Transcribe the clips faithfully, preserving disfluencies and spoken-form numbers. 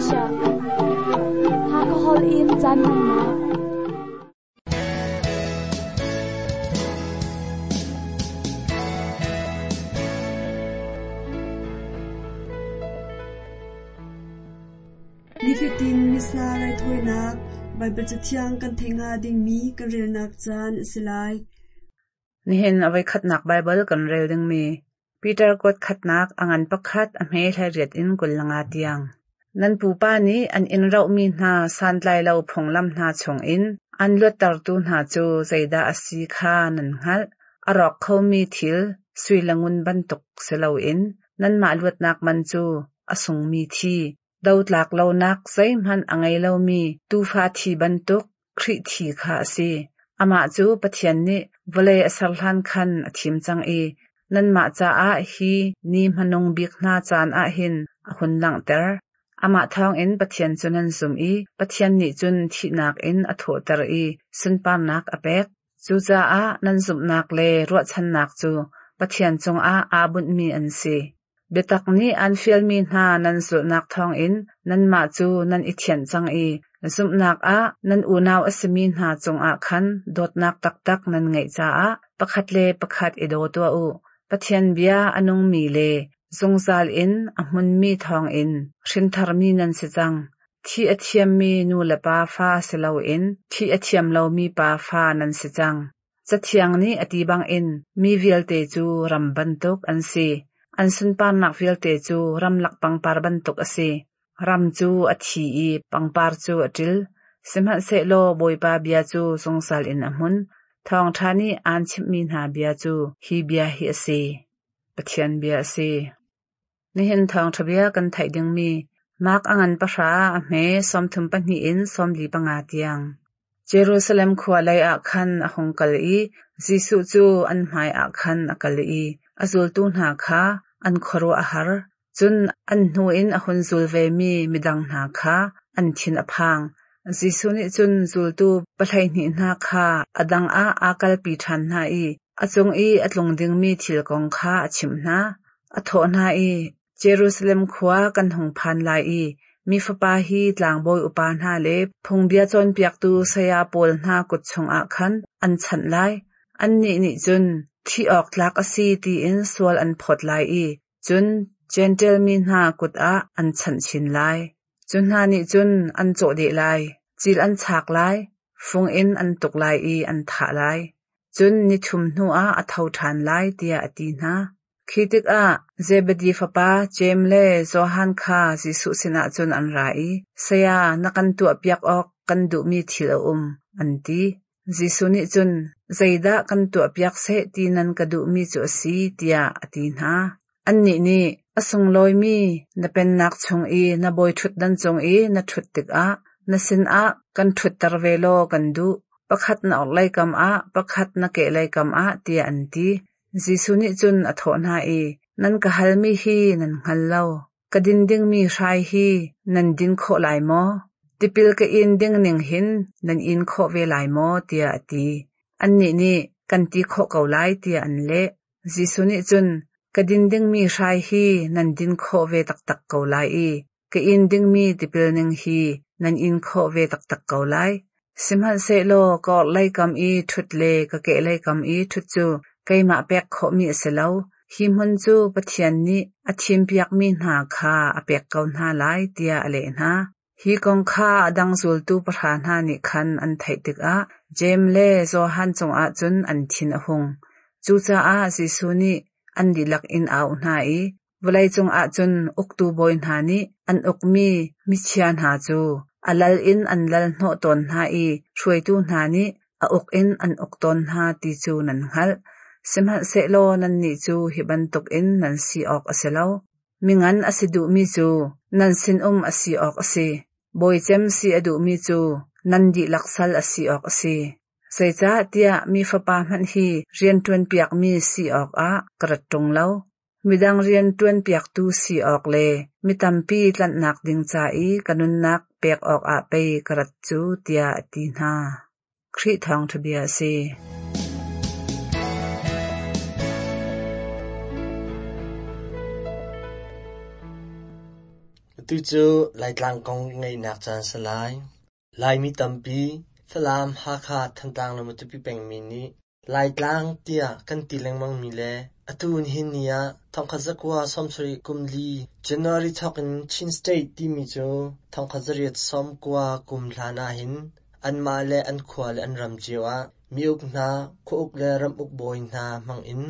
Asia. Hakahol in caan hmannak. Nifatin Missa raithawinak Baibal Cathiang kan theih hnga dingmi kan relnak caan a si lai. Nihin a voikhatnak Baibal kan rel dingmi Peter kuat khatnak a ngan pakhat a hme hlei in kul le nga tiang. Nan pupa nih an in rohmi hna santlailo phunglam hna chungin an luattertu hna cu zeidah a si kha nan hngalh. A rawk khomi thil sui le ngun bantuk si loin nanmah luatnak man cu a sungmi thi, dotlak lonak zeihmanh a ngei lomi tuufa thi bantuk Khrih thi kha a si. Amah cu Pathian nih vawlei a ser hlan khan a thim cang i nanmah caah hi ni hmanung bik hna caan ah hin a hun langhter. Amah thawngin Pathian cu nan zum i Pathian nih cun thihnak in a thawhter i sunparnak a pek. Cucaah nan zumhnak le ruahchannak cu Pathian cungah aa bunhmi an si. Biatak nih aan fialmi hna nan zulhnak thawngin nanmah cu nan i thianh cang i zumhnak ah nan unau a simi hna cungah khan dawtnak taktak nan ngeih caah pakhat le pakhat i daw tuah u. Pathian bia a nungmi le zungzal in a hmunmi thawngin hrintharmi nan si cang. Thi a thiammi nu le pa fa si loin thi a thiam lomi pa fa nan si cang. Cathiang nih a ti bangin mi vialte cu ram bantuk an si. An sunparnak vialte cu ramlak pangpar bantuk a si. Ram cu a thi i pangpar cu a ṭil. Sihmanhsehlaw Bawipa bia cu zungzal in a hmun. Thawngṭha nih aan chimhmi hna bia cu hi bia hi a si. Pathian bia a si. Nihin thawngṭha bia kan theih dingmi Mark a ngan pahra a hme sawmthum pahnih in sawmli panga tiang. Jerusalem khua lei ah khan a hung kal i Jesuh cu an hmai ah khan a kal i a zultu hna kha an khuaruah a har. Cun an hnu in a hun zul vemi midang hna kha an thin a phang. Jesuh nih cun zultu pahleihnih hna kha a dang ah aa kalpi ṭhan hna i a cung i a tlung dingmi thil kong kha a chimh hna. A thawh hna i Jerusalem khua kan hung phan lai i mi fapa hi tlangbawi upa hna le phungbia cawnpiaktu saya pawl hna kut chungah khan an chanh lai. Annih nih cun thi awk tlak a si tiin sual an phawt lai i cun Jentail mi hna kut ah an chanh chin lai. Cu hna nih cun an cawh deh lai, cil an chak lai, fung in an tuk lai i an thah lai. Cun nithum hnuah a tho ṭhan lai tiah a ti hna. Khi tikah Zebedi fapa Jeim le Johan kha Jesuh sinah cun an ra i, Saya, na kan tuahpiak awk kan duhmi thil a um, an ti. Jesuh nih cun, zeidah kan tuahpiak seh ti nan ka duhmi cu a si, tiah a ti hna. Annih nih, a sunglawimi na pennak chung i na bawi ṭhutdan cung i na ṭhut tikah na sinah kan ṭhutter ve law kan duh. Pakhat na orhlei kam ah, pakhat na kehlei kam ah, tiah an ti. Jesuh nih cun a thawh hna i, nan ka halmi hi nan hngal lo. Ka din dingmi hrai hi nan din khawh lai maw? Tipil ka in ding ning hin nan in khawh ve lai maw? tiah a ti. Annih nih kan ti khawh ko lai tiah an leh. Jesuh nih cun, ka din dingmi hrai hi nan din khawh ve taktak ko lai i ka in dingmi tipil ning hi nan in khawh ve taktak ko lai. Sihmanhsehlaw ka orhlei kam i ṭhut le ka kehlei kam i ṭhut cu keimah pek khawhmi a si lo. Hi hmun cu Pathian nih a thimpiakmi hna kha a pek ko hna lai tiah a leh hna. Hi kong kha a dang zultu pahra hna nih khan an theih tikah Jeim le Johan cungah cun an thin a hung. Cucaah Jesuh nih an dihlak in a auh hna i vawlei cungah cun uktu bawi hna nih an ukmi michia hna cu a lal in an lal hnawh tawn hna i hruaitu hna nih a uk in an uk tawn hna ti cu nan hngalh. Sihmanhsehlaw nannih cu hi bantukin nan si awk a si lo. Mingan a si duhmi cu nan sinum a si awk a si. Bawi cem si a duhmi cu nan dihlak sal a si awk a si. Zeicahtiah mi fapa hmanh hi rianṭuanpiakmi si awkah ka rat ṭung lo. Midang rianṭuanpiaktu si awk le mi tampi tlanhnak ding ca i ka nunnak pek awkah pei ka rat cu tiah a ti hna. Khrih thawngṭha bia a si. Atu cu Laitlang kong ngaihnak caan si lai. Laimi tampi, Falam, Hakha, Thantlang le Matupi pengmi nih Laitlang tiah kan ti lengmangmi le atu nihin ni ah thongkhat zakua sawmsarih kum li January thawk in Chin State timi cu thongkhat zariat sawmkua kum hlan ahhin anmah le an khua le an ram cio ah mi uk hna, khua uk le ram uk bawi hna hmang in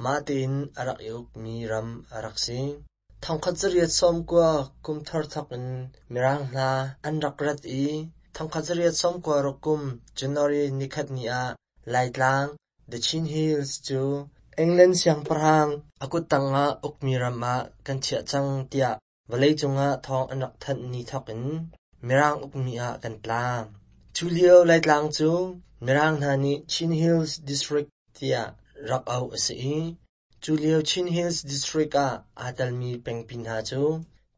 mah tein a rak i ukmi ram a rak si. Thongkhat zariat sawmkua kum thar thawk in Mirang hna an rak rat i thongkhat zariat sawmkua ruk kum January nikhat ni ah Laitlang, The Chin Hills cu England siangpahrang a kuttang ah ukmi ram ah kan chiah cang tiah vawleicung ah thawng an rak thanh ni thawk in Mirang ukmi ah kan tla. Cu lio Laitlang cu Mirang hna nih Chin Hills District tiah rak auh a si i cu lio Chin Hills District ah aa telmi pengpi hna cu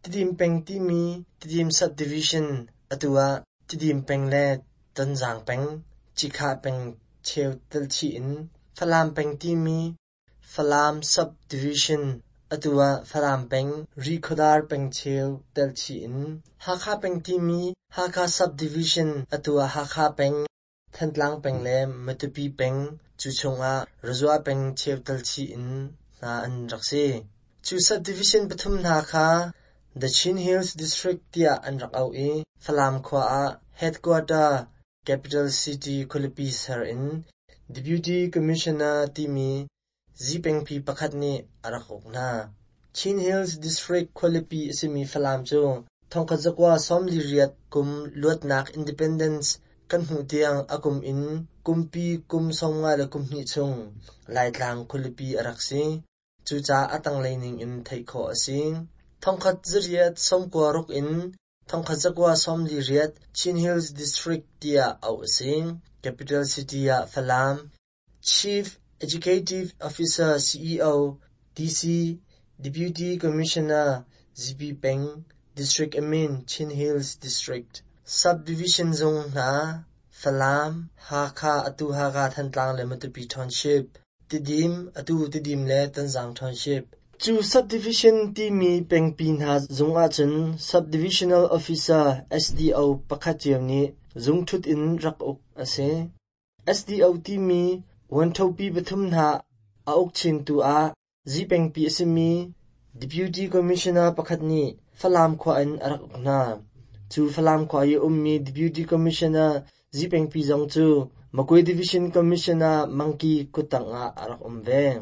Tidim peng timi Tidim Subdivision atu ah Tidim peng le Tonzang peng, Cikhah peng cheu telchih in Falam peng timi Falam Subdivision atu ah Falam peng, Rikhodar peng cheu telchih in Hakha peng timi Hakha Subdivision atu ah Hakha peng, Thantlang peng le Matupi peng cu chungah Razua peng cheu telchih in hna an rak si. Cu subdivision pathum hna kha The Chin Hills District tiah an rak auh i Falam khua ah headquarter Capital City khualipi ser in Deputy Commissioner timi zipengpi pakhat nih a rak uk hna. Chin Hills District khualipi a simi Falam cu thongkhat zakua sawmli riat kum luatnak Independence kan hmuh tiang a kum in kumpi kum sawmnga le kum hnih chung Laitlang khualipi a rak si. Cucaah a tanglei ning in theih khawh a si. Thongkhat zariat sawmkua ruk in thongkhat zakua sawmli riat Chin Hills District tiah auh a si. Capital City ah Falam. Chief Executive Officer C E O D C Deputy Commissioner Z P Peng District Admin Chin Hills District Subdivision zung hna Falam, Hakha atu Hakha Thantlang le Matupi Township, Tidim atu Tidim le Tonzang Township. Cu subdivision timi pengpi hna zung ahcun Subdivisional Officer S D O pakhat cio nih zungṭhut in rak uk a si. S D O timi vuanthopi pathum hna a uk chintu ah zipengpi a simi Deputy Commissioner pakhat nih Falam khua in a rak uk hna. Cu Falam khua i a ummi Deputy Commissioner zipengpi zong cu Magwe Division Commissioner Mangki kuttang ah a rak um ve.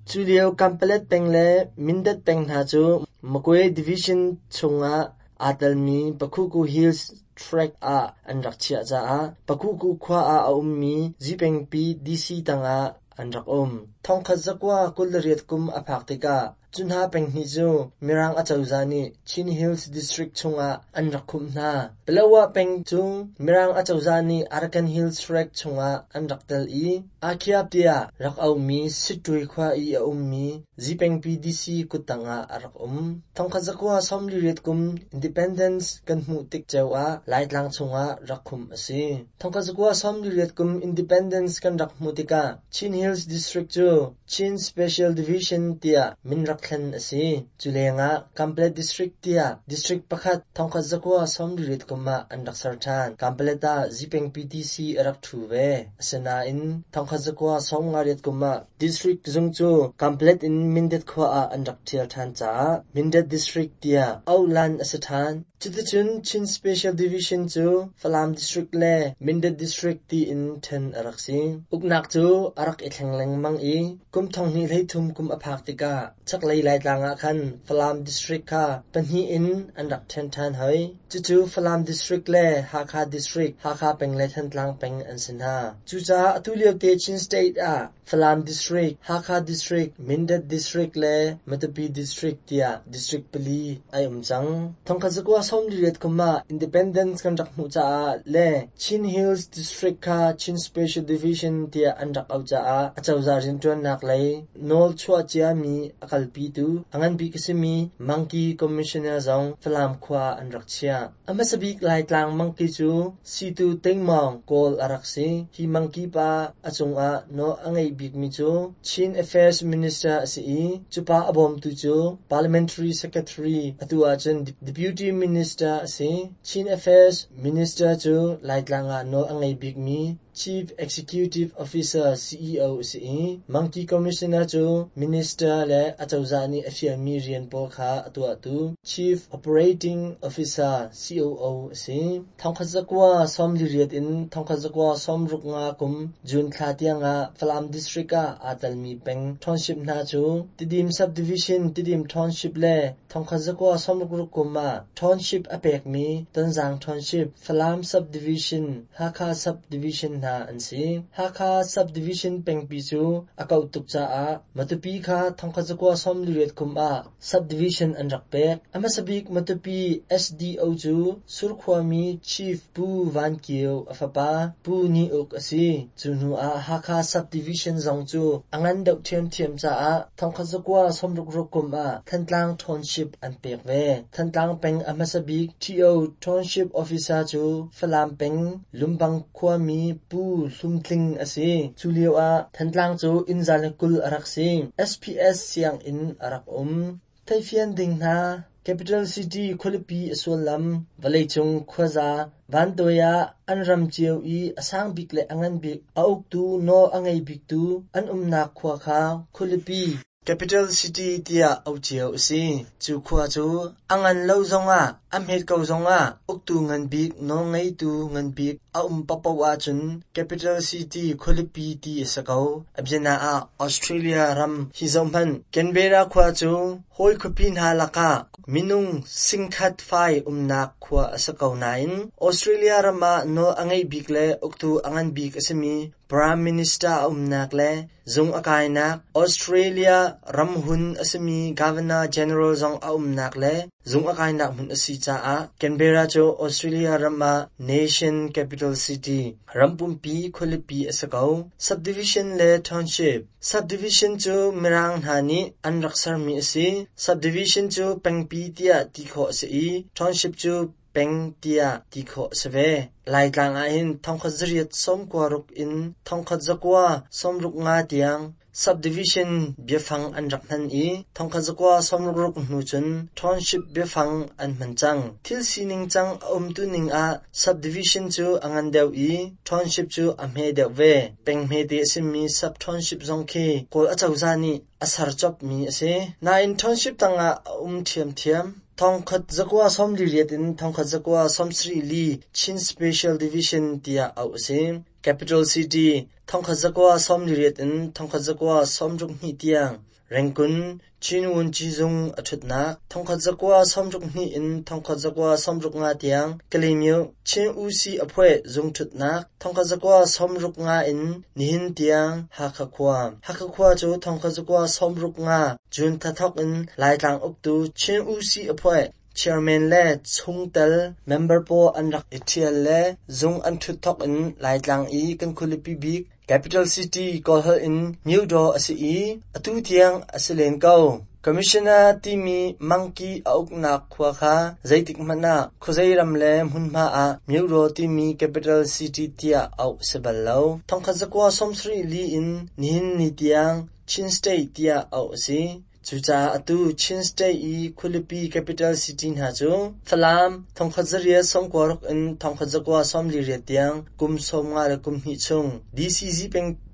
Cu lio Kanpalet peng le Mindat peng hna cu Magwe Division chungah aa telmi Pakhuku Hills Tract ah an rak chiah caah Pakhuku khua ah a ummi zipengpi D C tangah an rak um. Thongkhat zakua kul le riat kum a phak tikah cu hna peng hnih cu Mirang acozah nih Chin Hills District chungah an rak khumh hna. Paletwa peng cu Mirang acozah nih Arakan Hills Tract chungah an rak tel i Akhiap tiah rak auhmi Sittwe khua i a ummi zipengpi D C kuttang ah a rak um. Thongkhat zakua sawmli riat kum Independence kan hmuh tik ceu ah Laitlang chungah rak khumh a si. Thongkhat zakua sawmli riat kum Independence kan rak hmuh tikah Chin Hills District cu Chin Special Division tiah min rak thlen a si. Cu lengah Kanpalet District tiah District pakhat thongkhat zakua sawmli riat kum ah an rak ser ṭhan. Kanpalet ah zipengpi D C a rak ṭhu ve. Asinain thongkhat zakua sawmnga riat kum ah District zung cu Kanpalet in Mindat khua ah an rak ṭhial ṭhan caah Mindat District tiah auhlan a si ṭhan. Cuticun Chin Special Division cu Falam District le Mindat District tiin ṭhen a rak si. Uknak cu a rak i thleng lengmang i kum thonghnih hleithum kum a phak tikah chaklei Laitlang ah khan Falam District kha pahnih in an rak ṭhen ṭhan hoi. Cucu Falam District le Hakha District, Hakha peng le Thantlang peng an si hna. Cucaah atu liote Chin State ah Falam District, Hakha District, Mindat District le Matupi District tiah district pali ai um cang. Thongkhat zakua sawmli riat kum ah Independence kan rak hmuh caah le Chin Hills District kha Chin Special Division tiah an rak auh caah acozah rianṭuannak lei nawl chuah ciami a kalpitu a ngan bik a simi Mangki Commissioner zong Falam khua ah an rak chiah. A hmasa bik Laitlang Mangki cu Situ Tingmawng Kawl a rak si. Hi Mangki pa a cungah nawl a ngei bikmi cu Chin Affairs Minister a si i cu pa a bawmtu cu Parliamentary Secretary, atu ahcun Deputy Minister a si. Chin Affairs Minister cu Laitlang ah nawl a ngei bikmi Chief Executive Officer C E O a si i Mangki Commissioner cu Minister le acozah nih a fialmi rian pawl kha a tuahtu Chief Operating Officer C O O a si. Thongkhat zakua sawmli riat in thongkhat zakua sawmruk nga kum June thla tiangah Falam District ah aa telmi peng township hna cu Tidim Subdivision, Tidim Township le thongkhat zakua sawmruk ruk kum ah township a pekmi Tonzang Township, Falam Subdivision, Hakha Subdivision hna an si. Hakha Subdivision pengpi cu a kauh tuk caah Matupi kha thongkhat zakua sawmli riat kum ah subdivision an rak pek. A hmasa bik Matupi S D O cu Surkhuami Chief Pu Van Kio a fapa Pu Ni Uk a si. Cu hnu ah Hakha Subdivision zong cu a ngan deuh ṭhiamṭhiam caah thongkhat zakua sawmruk ruk kum ah Thantlang Township an pek ve. Thantlang peng a hmasa bik T O Township Officer cu Falam peng Lumbang khuami Pu Hlum Tling a si. Cu lio ah Thantlang cu inn za le kul a rak si. S P S sianginn a rak um. Theihfian ding hna. Capital City, khualipi a sullam. Vawleicung khuaza vantuai ah an ram cio i a sang bik le a ngan bik, a uktu nawl a ngei biktu an umnak khua kha khualipi, Capital City tiah auh cio a si. Cu khua cu a ngan lo zongah, a hmet ko zongah uktu ngan bik, nawlngeitu ngan bik a um paohpaoh ahcun Capital City, khualipi ti a si ko. A biana ah Australia ram hi zohhmanh. Canberra khua cu hawi khuapi hna lakah minung singkhat fai umnak khua a si ko nain Australia ram ah nawl a ngei bik le uktu a ngan bik a simi Prime Minister a umnak le zung a kainak, Australia ramhun a simi Governor General zong a umnak le zung a kainak hmun a si caah Canberra cu Australia ram ah Nation Capital City, ram pumpi khualipi a si ko. Subdivision le Township. Subdivision cu Mirang hna nih an rak sermi a si. Subdivision cu pengpi tiah ti khawh a si i township cu peng tiah ti khawh a si ve. Laitlang ahhin thongkhat zariat sawmkua ruk in thongkhat zakua sawmruk nga tiang subdivision biafang an rak hman i thongkhat zakua sawmruk ruk hnu cun township biafang an hman cang. Thil sining cang a umtu ning ah subdivision cu a ngan deuh i township cu a hme deuh ve. Peng hmete a simi sub-township zong khi Kawl acozah nih a ser copmi a si. Nain township tangah a um ṭhiamṭhiam. Thongkhat zakua sawmli riat in thongkhat zakua sawmsarih li Chin Special Division tiah auh a si. Capital City, thongkhat zakua sawmli riat in thongkhat zakua sawmruk hnih tiang Rangoon, Chin Wunci zung a ṭhutnak. Thongkhat zakua sawmruk hnih in thongkhat zakua sawmruk nga tiang Kalaymyo, Chin Usi Aphueh zung ṭhutnak. Thongkhat zakua sawmruk nga in nihin tiang Hakha khua. Hakha khua cu thongkhat zakua sawmruk nga June thla thawk in Laitlang uktu Chin Usi Aphueh chairman le chungtel member pawl an rak i ṭhial le zung an ṭhut thawk in Laitlang i kan khualipi bik Capital City, Kawlholh in Myodaw a si i atu tiang a si len ko. Commissioner timi mangki a uknak khua kha zeitik hmanh ah khuazei ram le hmunhma ah Myodaw timi Capital City tiah auh a si bal lo. Thongkhat zakua sawmsarih li in nihin ni tiang Chin State tiah auh a si. Cucaah atu Chin State i khualipi Capital City hna cu Falam, thongkhat zariat sawmkua ruk in thongkhat zakua sawmli riat tiang kum sawmnga le kum hnih chung D C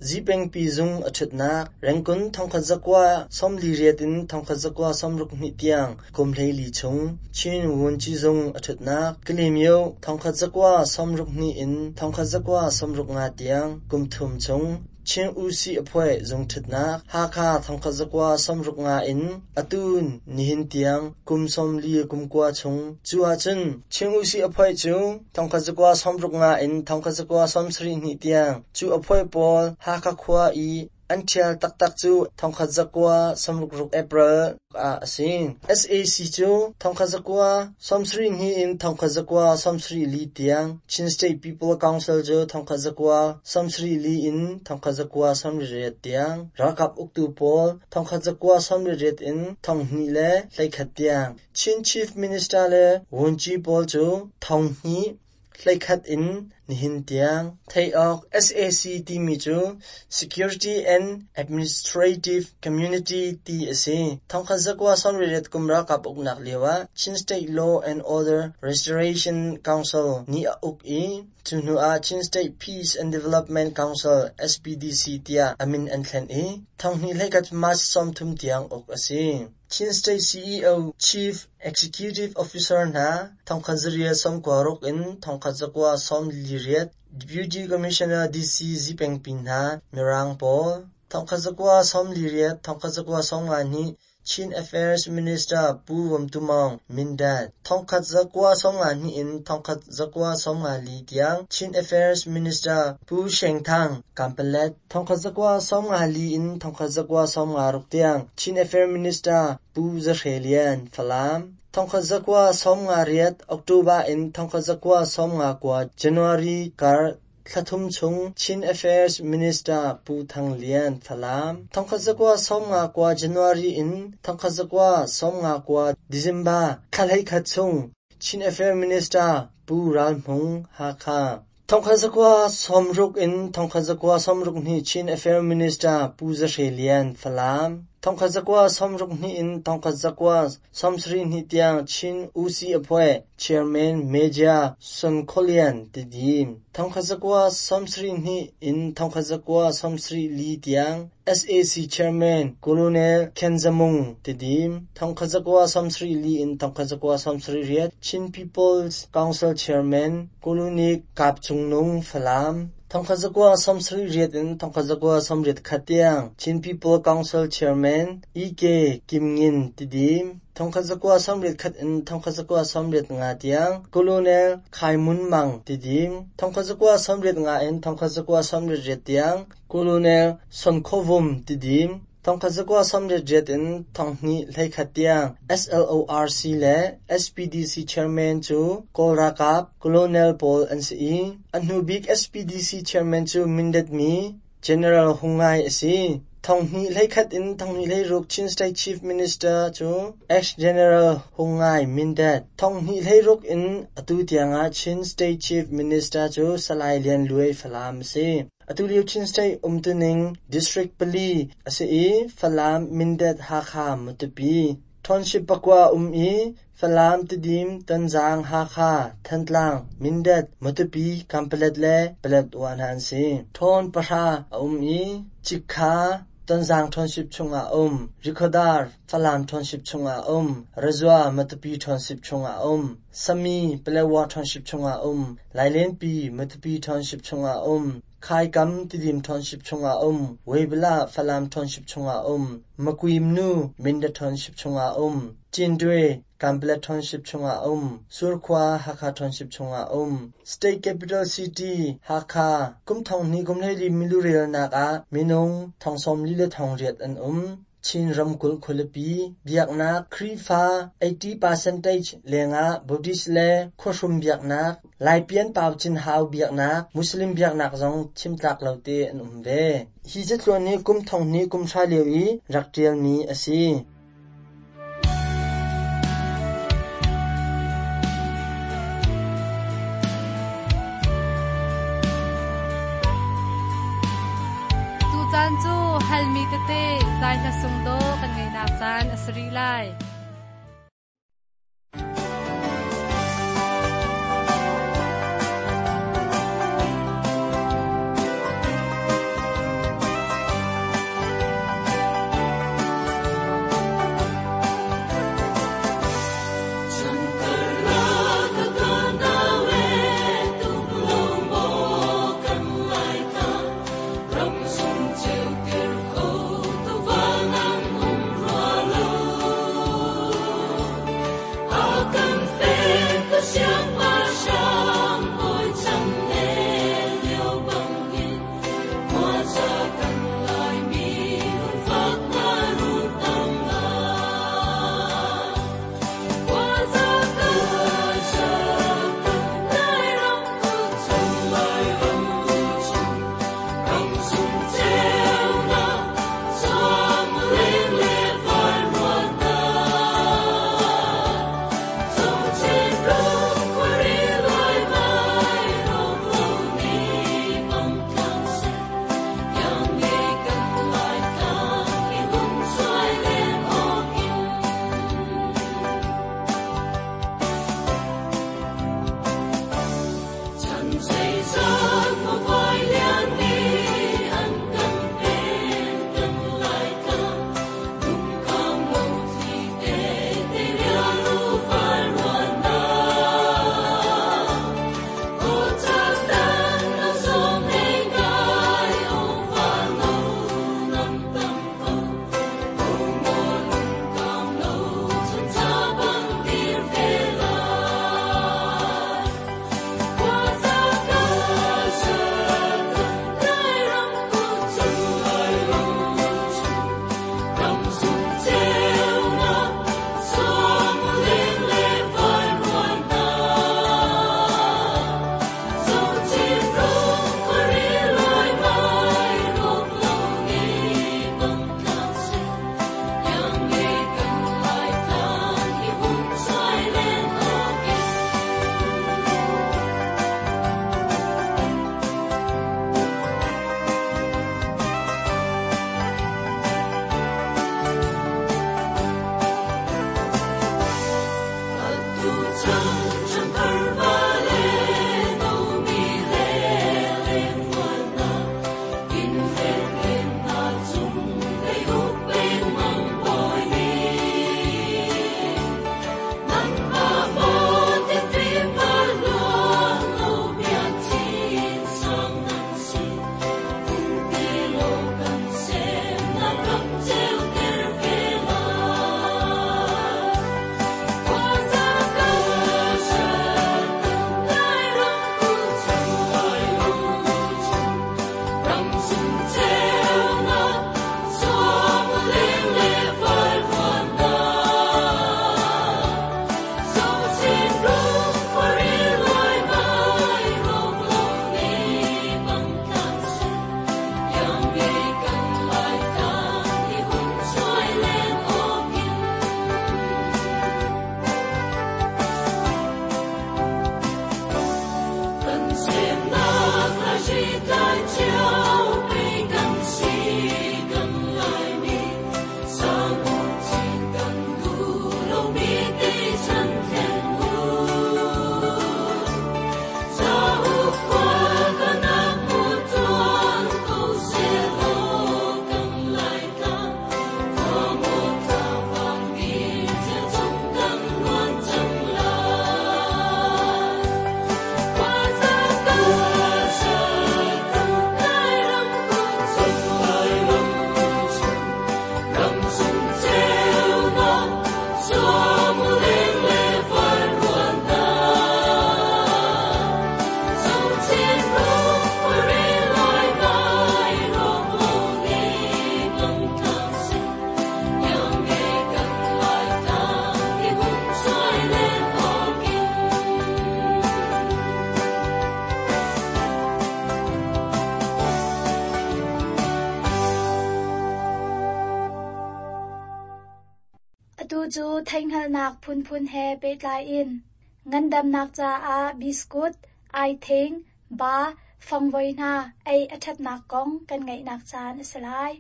Zipengpi zung a ṭhutnak, Rangoon, thongkhat zakua sawmli riat in thongkhat zakua sawmruk hnih tiang kum hleili chung Chin Wunci zung a ṭhutnak, Kalaymyo, thongkhat zakua sawmruk hnih in thongkhat zakua sawmruk nga tiang kum thum chung Chin Usi Aphueh zung ṭhutnak, Hakha, thongkhat zakua sawmruk nga in atu nihin tiang kum sawmli kum kua chung. Cu ahcun Chin Usi Aphueh cu thongkhat zakua sawmruk nga in thongkhat zakua sawmsarih hnih tiang cu aphueh pawl Hakha khua i an ṭhial taktak cu thongkhat zakua sawmruk ruk April ah a si. S A C cu thongkhat zakua sawmsarih hnih in thongkhat zakua sawmsarih li tiang, Chin State People Council cu thongkhat zakua sawmsarih li in thongkhat zakua sawmriat riat tiang, ralkap uktu pawl thongkhat zakua sawmriat riat in thonghnih le hleikhat tiang, Chin Chief Minister le Wunci pawl cu thonghnih hleikhat in Nihin tiang theih awk S A C timi cu Security and Administrative Community ti a si. Thongkhat zakua sawmriat kum ralkap uknak lioah Chin State Law and Order Restoration Council nih a uk i cu hnuah Chin State Peace and Development Council S P D C tiah a min an thlen i thonghnih hleikhat March sawmthum tiang uk a si. Chin State C E O Chief Executive Officer hna thongkhat zariat sawmkua ruk in thongkhat zakua sawmli riat, Deputy Commissioner D C Zipengpi hna Mirang pawl, thongkhat zakua sawmli riat thongkhat zakua sawmnga hnih Chin Affairs Minister Pu Vom Tu Maung Mindat, thongkhat zakua sawmnga hnih in thongkhat zakua sawmnga li tiang Chin Affairs Minister Pu Sheng Thang Kanpalet, thongkhat zakua sawmnga li in thongkhat zakua sawmnga ruk tiang Chin Affairs Minister Pu Za Hre Lian Falam, thongkhat zakua sawmnga riat October in thongkhat zakua sawmnga kua January kar thlathum chung Chin Affairs Minister Pu Thang Lian Falam, thongkhat zakua sawmnga kua January in thongkhat zakua sawmnga kua December thla hleikhat chung Chin Affairs Minister Pu Ral Hmung Hakha, thongkhat zakua sawmruk in thongkhat zakua sawmruk hnih Chin Affairs Minister Pu Za Hre Lian Falam, thongkhat zakua sawmruk hnih in thongkhat zakua sawmsarih hnih tiang Chin Usi Aphoe Chairman Major Son Kholian Tidim, thongkhat zakua sawmsarih hnih in thongkhat zakua sawmsarih li tiang S A C Chairman Colonel Khen Za Mung Tidim, thongkhat zakua sawmsarih li in thongkhat zakua sawmsarih riat Chin People's Council Chairman Colonel Kap Cung Nung Falam, thongkhat zakua sawmsarih riat in thongkhat zakua sawmriat khat tiang Chin People Council Chairman E K Kim Ngin Tidim, thongkhat zakua sawmriat khat in thongkhat zakua sawmriat nga tiang Colonel Khai Mun Mang Tidim, thongkhat zakua sawmriat nga in thongkhat zakua sawmriat riat tiang Colonel Son Khovum Tidim, thongkhat zakua sawmriat riat in thonghnih hleikhat tiang S L O R C le S P D C Chairman cu Kawl ralkap Colonel pawl an si i a hnubik S P D C Chairman cu Mindat mi General Hung Ngai a si. Thonghnih hleikhat in thonghnih hleiruk Chin State Chief Minister cu ex-General Hung Ngai Mindat. Thonghnih hleiruk in atu tiangah Chin State Chief Minister cu Salai Lian Luai Falam a si. Atu lio Chin State umtuning District pali a si i Falam, Mindat, Hakha, Matupi. Township pakua um i Falam, Tidim, Tonzang, Hakha, Thantlang, Mindat, Matupi, Kanpalet le Paletwa hna an si. Town pahra a um i Cikha Tonzang Township chungah um, Rikhodar Falam Township chungah um, Razua Matupi Township chungah um, Sami Paletwa Township chungah um, Lailenpi Matupi Township chungah um, Khaikam Tidim Township chungah um, Weibala Falam Township chungah um, Makuimnu Mindat Township chungah um, Cindwe Kanpalet Township chungah um, Surkhua Hakha Township chungah um. State Capital City Hakha kum thonghnih kum hleili milurelnak ah minung thongsawmli le thongriat an um. Chin ramkulh khualipi biaknak Khrihfa eighty percent lengah Buddhist le khuahrum biaknak Laipian Pau Cin Hau biaknak Muslim biaknak zong chimtlak lo te an um ve. Hi catluan hi kum thonghnih kum hra lio i rak ṭialmi a si. Tucaan cu halmi tete zai hla sung dawh kan ngaihnak caan a si rih lai. Ram sung ceu tir kho tu val nan um rua lo. Atu cu theihhngalhnak phunphun he pehtlai in ngandamnak caah biskut, aithing, ba, fangvoi hna ei a ṭhatnak kong kan ngaihnak caan a si lai.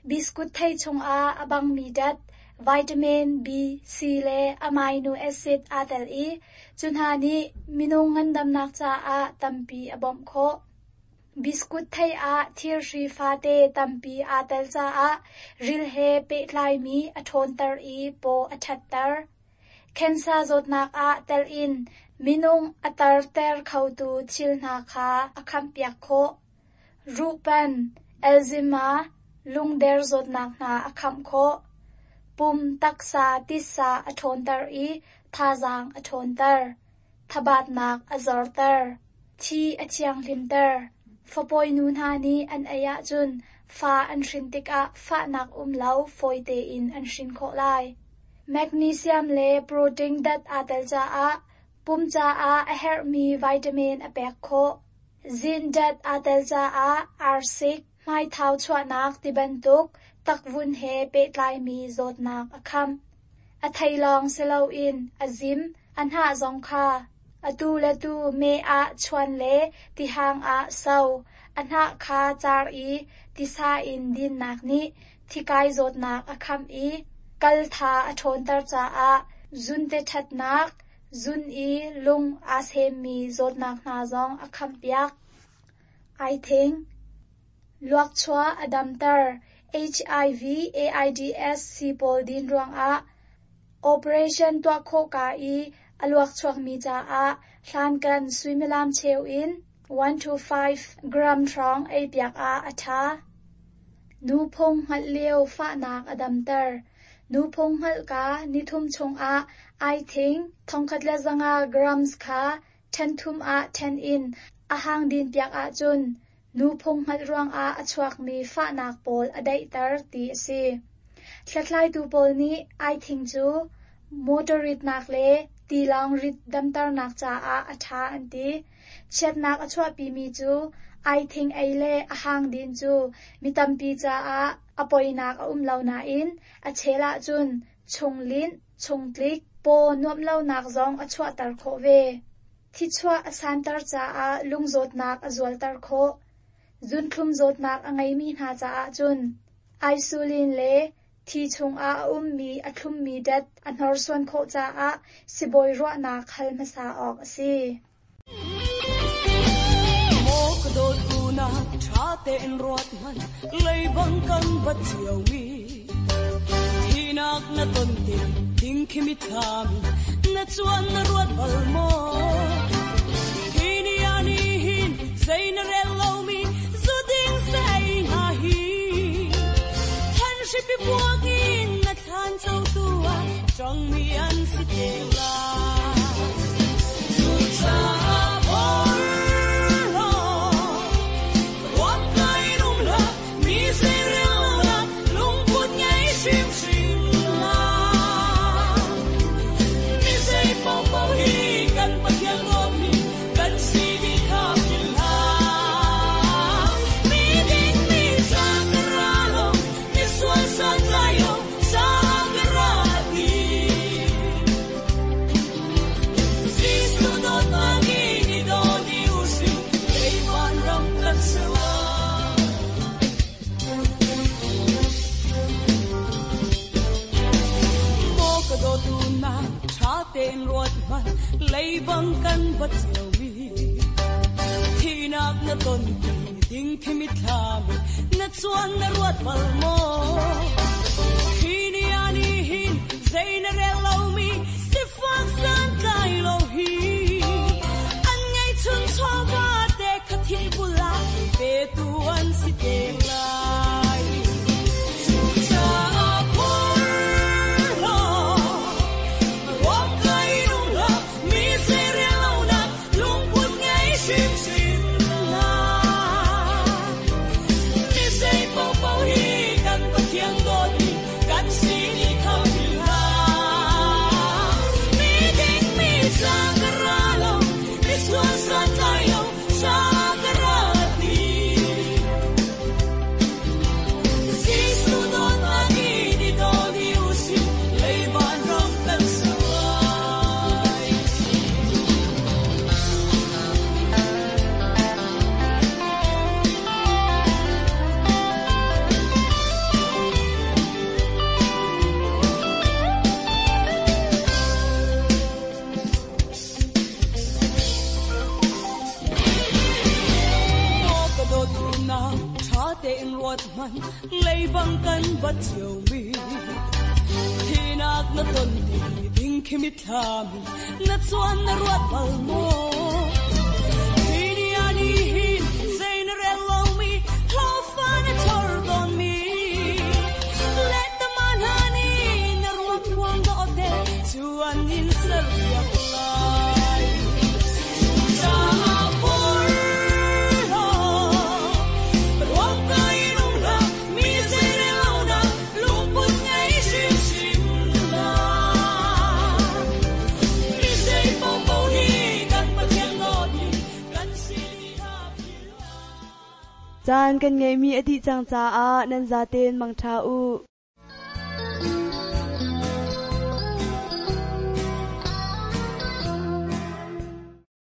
Biskut thei chungah a bangmi dat, vitamin B, C le amino acid aa tel i cu hna nih minung ngandamnak caah tampi a bawmh khawh. Biskut thei ah thirhri fate tampi aa tel caah ril he pehtlaimi a ṭhawnter i paw a ṭhatter. Khensa zawtnak ah tel in minung a tarter khotu thil hna kha a khampiak khawh. Ruhpan, Alzheimer, lungder zawtnak hna a khamh khawh. Pum taksa titsa a ṭhawnter i thazaang a ṭhawnter. Thabatnak a zorter. Thi a thianghlimter. Fapawi nu hna nih an ei ahcun fa an hrin tikah fahnak um lo fawi tein an hrin khawh lai. Magnesium le protein dat aa tel caah pum caah a herhmi vitamin a pek khawh. Zinc dat aa tel caah arsik, hmaithau chuahnak tibantuk takvun he pehtlaimi zawtnak a khamh. A thei lawng si loin a zim, a hnah zong kha atu le tu meh ah chuan le tihang ah so, a hnah kha car i tisa in dinnak nih thikai zawtnak a khamh i kal tha a ṭhawnter caah zunte ṭhatnak, zun i lung aa semmi zawtnak hna zong a khamhpiak. Aithing luakchuah a damter. H I V AIDS si pawl din ruangah operation tuah khawh ka i a luakchuakmi caah hlankan suimilam cheu in one to five gram hrawng ei piak ah a ṭha. Nuphung hngalh lio fahnak a damter. Nuphung hngalh ka nithum chungah aithing thongkhat le zanga grams kha ṭhen thum ah ṭhen in a hang din piak ahcun nuphung hngalh ruangah a chuakmi fahnak pawl a daihter ti a si. Hlathlaitu pawl nih aithing cu motor ritnak le tilawng rit damternak caah a ṭha an ti. Chiatnak a chuahpimi cu aithing ei le a hang din cu mi tampi caah a poinak a um lo nain a chel ahcun chunglinh, chungtlik, paw nuamh lonak zong a chuahter khawh ve. Thichuah a santer caah lungzawtnak a zualter khawh. Zunthlum zawtnak a ngeimi hna caah cun insulin le thi chungah a ummi a thlummi dat a hnorsuan khawh caah sibawi ruahnak hal hmasa awk a si. Maw ka dawt unak ṭha tein ruat hmanh, leibang kan bat ciomi. Thinak na ton tik ding khi mitthlam na chuan na ruat bal maw? Hi ni ah ni hin zei na rel lomi zu ding sei nga hi. Than hripi buak in na thlan cho tu ah chong mi an si te la. Zu cha por lo, ruat kai nung la, mi se rel la, lung put ngei sim sim la. Mi se po po hi kan pathian Leibang kan bat chiao mi Thinak na ton ti ding khi mi thlami na chuan na ruat bal mo Hi ni ani hin zai na rel lo mi sifak san kai lo hi An ngai chun chawa te khathi bula pe tu an si te lai Cha por lo Ruak kai nung la mi se re lo na lung put ngai sim sim la Mi se po po hi kan pathian dot mi kan si ni kham la Mi ding mi sa kara lo mi suan san kai lo sa kara ti Jesu dot na ni ni do ni usi lei van ram kan sai Mo ka do tu na tha te in ruat man lei bang kan bat chiao mi Thinak na ton ti ding khi mi thlami na chuan na ruat bal mo Hi ni ani hin zai na rel lo mi hlo fa na chor don mi Let the man hani na ruat muang do te chuan in sar piak lai Cha por lo Ruak kai nung la mi zai re lo na lung put ngai sim sim la Mi zai po po hi kan pathian dot mi kan si ni ha phil la Caan kan ngeimi a dih cang caah nan zaten mangṭha u.